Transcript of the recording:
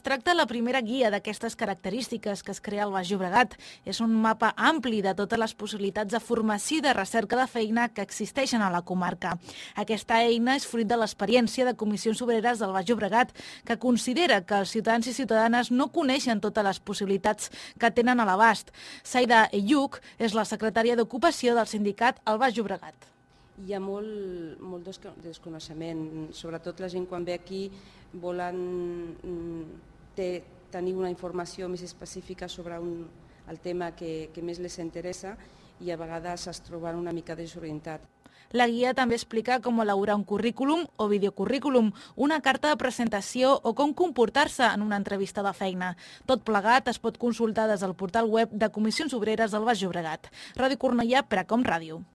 tracta de la primera guia d'aquestes característiques que es crea al Baix Llobregat. És un mapa ampli de totes les possibilitats de formació i de recerca de feina que existeixen a la comarca. Aquesta eina és fruit de l'experiència de Comissions Obreres del Baix Llobregat, que considera que els ciutadans i ciutadanes no coneixen totes les possibilitats que tenen a l'abast. Saida Eyuk és la secretària d'Ocupació del sindicat al Baix Llobregat. Hi ha molt desconeixement, sobretot la gent quan ve aquí volen tenir una informació més específica sobre el tema que més les interessa i a vegades es troben una mica desorientats. La guia també explica com elaborar un currículum o videocurrículum, una carta de presentació o com comportar-se en una entrevista de feina. Tot plegat es pot consultar des del portal web de Comissions Obreres del Baix Llobregat. Ràdio Cornellà, Precom Ràdio.